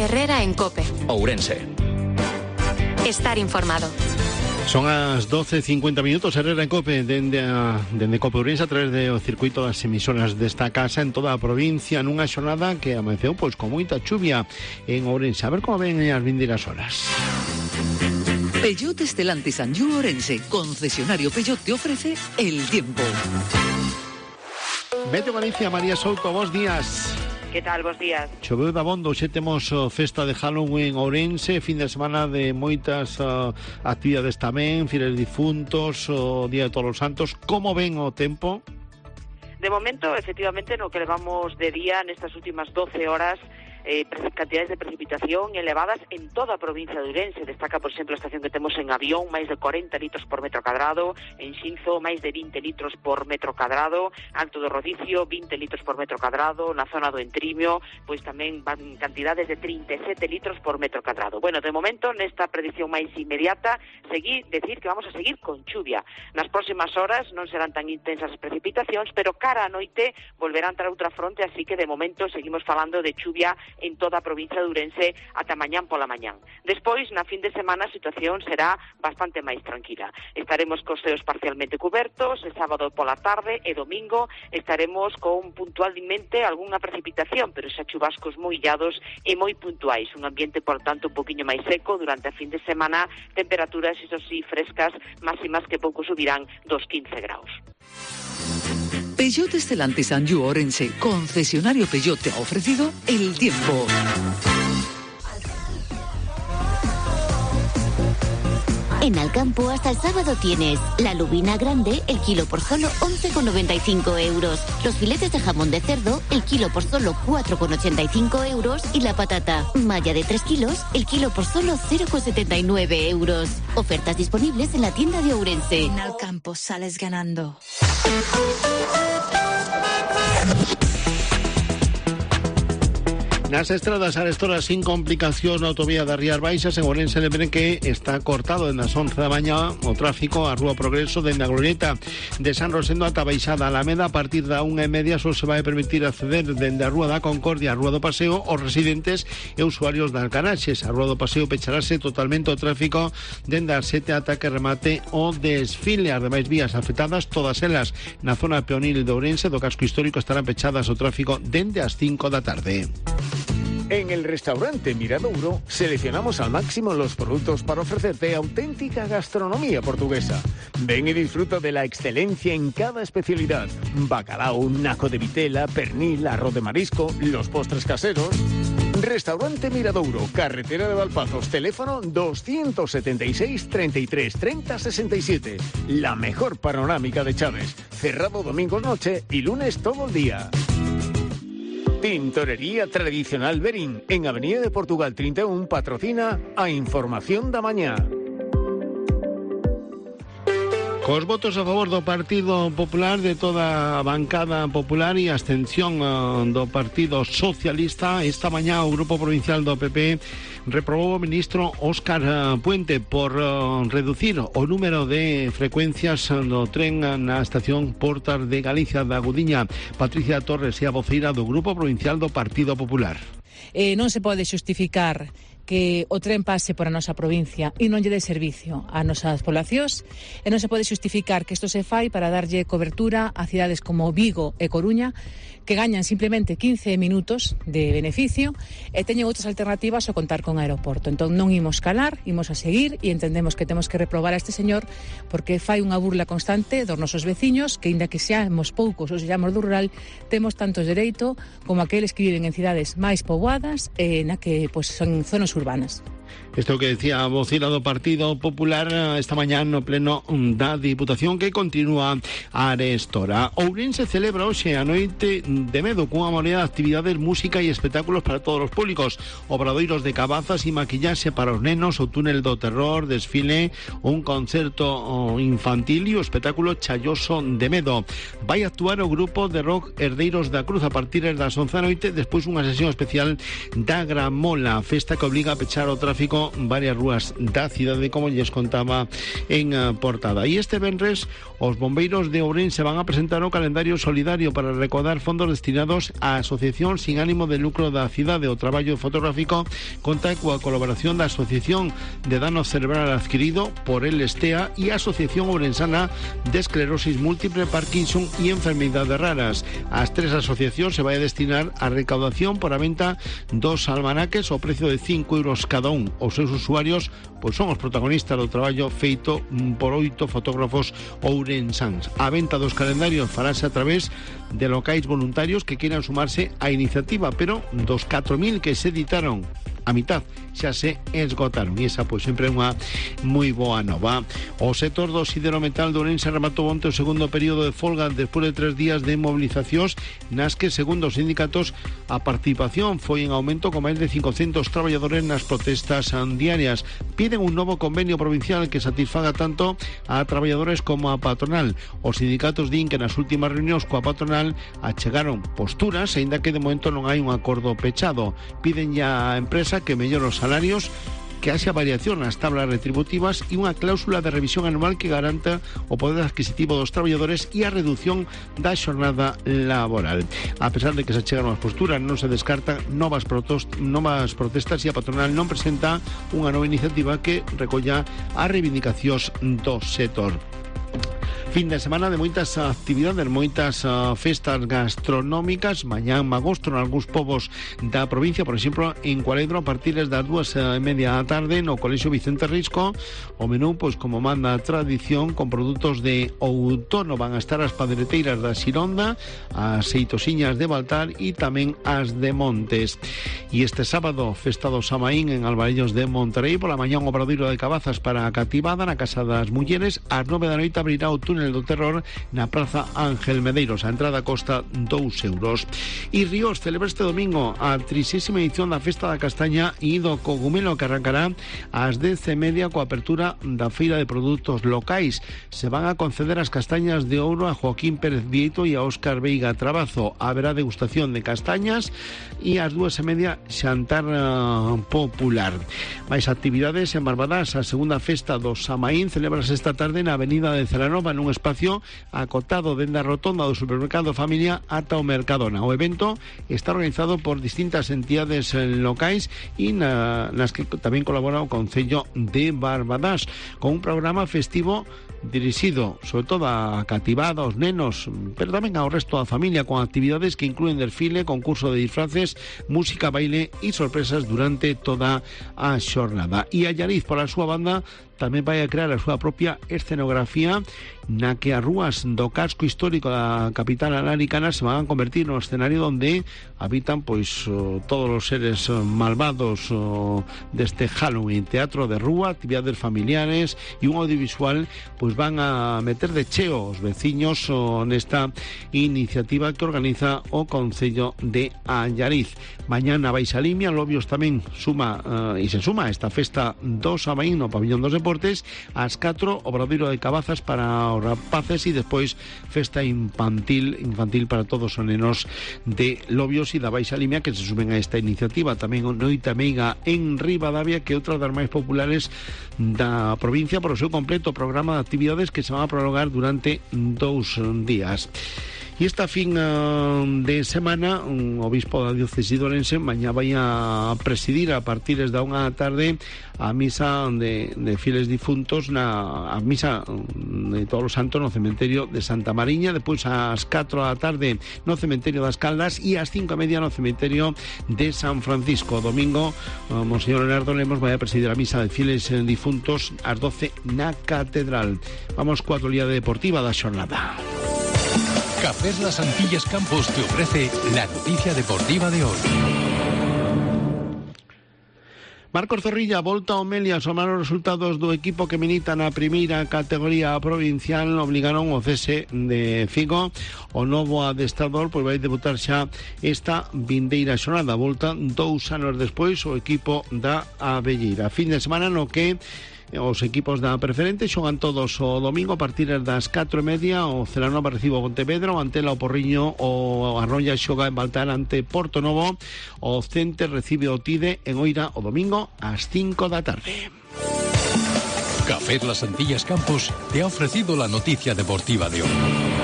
Herrera en COPE. Ourense. Estar informado. Son as 12:50 Herrera en COPE dende COPE Ourense a través do circuito das emisoras desta casa en toda a provincia nunha xornada que amaneceu con moita chuvia en Ourense. A ver como ven as vindeiras horas. Peugeot Stellantis Anjou Ourense, concesionario Peugeot, te ofrece el tiempo. Meteo Galicia, María Souto, bons días. Que tal, bons días? Choveu dabondo, xe temos festa de Halloween en Ourense, fin de semana de moitas actividades tamén, Fieles Difuntos, o Día de Todos os Santos. Como ven o tempo? De momento, efectivamente, no que levamos de día nestas últimas 12 horas, cantidades de precipitación elevadas en toda a provincia de Ourense. Destaca, por exemplo, a estación que temos en Avión, máis de 40 litros por metro cadrado, en Xinzo, máis de 20 litros por metro cadrado, Alto do Rodicio, 20 litros por metro cadrado, na zona do Entrimio, pois tamén van cantidades de 37 litros por metro cadrado. Bueno, de momento, nesta predición máis inmediata, decir que vamos a seguir con chuvia. Nas próximas horas non serán tan intensas as precipitacións, pero cara a noite volverá a entrar outra fronte, así que de momento seguimos falando de chuvia en toda a provincia de Ourense ata mañán pola mañán. Despois, na fin de semana, a situación será bastante máis tranquila. Estaremos cos ceos parcialmente cubertos, el sábado pola tarde e domingo estaremos con puntualmente algunha precipitación, pero xa chubascos moi illados e moi puntuais. Un ambiente, por tanto, un poquinho máis seco durante a fin de semana, temperaturas, iso sí, frescas, máximas que pouco subirán dos 15 graus. Peugeot Stellantis Anjou Ourense, concesionario Peugeot, te ha ofrecido el tiempo. En Alcampo hasta el sábado tienes la lubina grande, el kilo por solo 11,95 euros. Los filetes de jamón de cerdo, el kilo por solo 4,85 euros. Y la patata malla de 3 kilos, el kilo por solo 0,79 euros. Ofertas disponibles en la tienda de Ourense. En Alcampo sales ganando. Nas estradas arestora sin complicación na autovía das Rías Baixas en Ourense lembrem que está cortado dende as 11 da mañá o tráfico a Rúa Progreso dende a glorieta de San Rosendo ata Baixada Alameda. A partir da 1:30 só se vai permitir acceder dende a Rúa da Concordia a Rúa do Paseo os residentes e usuarios das garaxes. A Rúa do Paseo pecharase totalmente o tráfico dende as 7 ata que remate o desfile. As demais vías afectadas, todas elas na zona peonil de Ourense do casco histórico, estarán pechadas o tráfico dende as 5 da tarde. En el restaurante Miradouro seleccionamos al máximo los productos para ofrecerte auténtica gastronomía portuguesa. Ven y disfruta de la excelencia en cada especialidad. Bacalao, naco de vitela, pernil, arroz de marisco, los postres caseros. Restaurante Miradouro, carretera de Valpazos, teléfono 276 33 30 67. La mejor panorámica de Chaves. Cerrado domingo noche y lunes todo el día. Tintorería Tradicional Berín, en Avenida de Portugal 31, patrocina a Información da Mañá. Cos votos a favor do Partido Popular, de toda a bancada popular e a abstención do Partido Socialista, esta mañá o Grupo Provincial do PP reprobou o ministro Óscar Puente por reducir o número de frecuencias do tren na estación Portas de Galicia da Gudiña. Patricia Torres é a voceira do Grupo Provincial do Partido Popular. Non se pode xustificar que o tren pase por a nosa provincia e non lle dé servicio a nosas poblacións, e non se pode xustificar que isto se fai para darlle cobertura a cidades como Vigo e Coruña, que gañan simplemente 15 minutos de beneficio e teñen outras alternativas ao contar con aeroporto. Entón non imos calar, imos a seguir e entendemos que temos que reprobar a este señor porque fai unha burla constante dos nosos veciños, que inda que seamos poucos ou seamos do rural, temos tantos dereito como aqueles que viven en cidades máis poboadas na que son zonas urbanas. Isto que decía a vocila do Partido Popular esta mañá no pleno da Diputación, que continúa arestora. Ourense celebra hoxe a noite de medo cunha morea de actividades, música e espectáculos para todos os públicos, obradoiros de cabazas e maquillaxe para os nenos, o túnel do terror, desfile, un concerto infantil e o espectáculo Chaioso de Medo. Vai actuar o grupo de rock Herdeiros da Cruz a partir das 11 da noite, despois unha sesión especial da Gramola, festa que obliga a pechar o tráfico tráfico varias rúas da cidade, como lles contaba en portada. E este venres os bombeiros de Ourense van a presentar o calendario solidario para recaudar fondos destinados á asociación sin ánimo de lucro da cidade. O traballo fotográfico conta coa colaboración da Asociación de Dano Cerebral Adquirido por el Estea e a Asociación Ourensana de Esclerosis Múltiple, Parkinson e Enfermedades Raras. As tres asociacións se vai a destinar a recaudación por a venta dos almanaques ao precio de 5 euros cada un. Os seus usuarios pois son os protagonistas do traballo feito por 8 fotógrafos ourensáns. A venta dos calendarios farase a través de locais voluntarios que queiran sumarse á iniciativa, pero dos 4.000 que se editaron, a mitad xa se esgotaron, e esa pois sempre é unha moi boa nova. O sector do siderometal de Ourense rematou onte o segundo período de folga despois de 3 días de movilizacións nas que, segundo os sindicatos, a participación foi en aumento con máis de 500 traballadores nas protestas diarias. Piden un novo convenio provincial que satisfaga tanto a traballadores como a patronal. Os sindicatos din que nas últimas reunións coa patronal achegaron posturas, aínda que de momento non hai un acordo pechado. Piden ya a empresa que mellore os salarios, que haxa variación nas tablas retributivas e unha cláusula de revisión anual que garanta o poder adquisitivo dos traballadores e a reducción da xornada laboral. A pesar de que se achegaron as posturas, non se descartan novas protestas e a patronal non presenta unha nova iniciativa que recolla as reivindicacións do sector. Fin de semana de moitas actividades, moitas festas gastronómicas. Mañán magosto en algúns povos da provincia, por exemplo, en Cualedro, a partir das 2:30 da tarde no Colexio Vicente Risco. O menú, pois como manda a tradición, con produtos de outono. Van a estar as padreteiras da Xironda, as seitosiñas de Baltar e tamén as de Montes. E este sábado, festa do Samaín en Alvarellos de Monterrey. Pola mañán, o obradoiro de cabazas para a cativada na Casa das Mulleres. Ás 9 da noite abrirá o túnel do terror na Praza Ángel Medeiros. A entrada costa 2 euros. E Ríos celebra este domingo a 30ª edición da Festa da Castaña e do Cogumelo, que arrancará ás 10:30 coa apertura da feira de produtos locais. Se van a conceder as castañas de ouro a Joaquín Pérez Vieito e a Óscar Veiga Trabazo. Haberá degustación de castañas e ás 2:30 xantar popular. Mais actividades en Barbadas. A segunda festa do Samaín celebrase esta tarde na Avenida de Celanova, nun espacio acotado dende a rotonda do supermercado Familia ata o Mercadona. O evento está organizado por distintas entidades locais e nas que tamén colabora o Concello de Barbadas, con un programa festivo dirixido sobre todo a cativada, aos nenos, pero tamén ao resto da familia, con actividades que incluen desfile, concurso de disfraces, música, baile e sorpresas durante toda a xornada. E Allariz, pola súa banda, tamén vai a crear a súa propia escenografía na que as rúas do casco histórico da capital alaricana se van a convertir no escenario onde habitan pois todos os seres malvados deste Halloween. Teatro de rúa, actividades familiares e un audiovisual pois van a meter de cheo os veciños nesta iniciativa que organiza o Concello de Allariz. Mañana Baixa Limia, Lobios tamén suma e se suma a esta festa do Samaín no Pabillón dos Deportes. Ás 4, obradoiro de cabazas para os rapaces e despois festa infantil para todos os nenos de Lobios e da Baixa Limia que se suben a esta iniciativa. Tamén Noite Meiga en Ribadavia, que é outra das máis populares da provincia por o seu completo programa de actividades que se van a prolongar durante 2 días. E esta fin de semana, un obispo da diócese de Ourense mañá vai a presidir a partir da 1 da tarde a misa de fieles difuntos, a misa de Todos os Santos no cementerio de Santa Mariña, depois ás 4 da tarde no cementerio das Caldas e ás 5:30 no cementerio de San Francisco. Domingo, Monseñor Leonardo Lemos vai a presidir a misa de fieles difuntos ás 12 na Catedral. Vamos coa actualidade deportiva da xornada. Cafés Las Antillas Campos te ofrece la noticia deportiva de hoy. Marcos Zorrilla volta ao Melias. Os malos resultados do equipo que milita na primeira categoría provincial obligaron o cese de Figo. O novo adestrador pois vai debutar xa esta vindeira xornada. Volta 2 anos despois o equipo da Abelleira. Fin de semana no que Os equipos da Preferente xogan todos o domingo a partir das 4:30. O Celanova recibe o Pontevedra, o Antela o Porriño, o Arroya xoga en Baltar ante Portonovo, o Cente recibe o Tide en Oira o domingo ás 5 da tarde. Café Las Antillas Campos te ha ofrecido la noticia deportiva de hoy.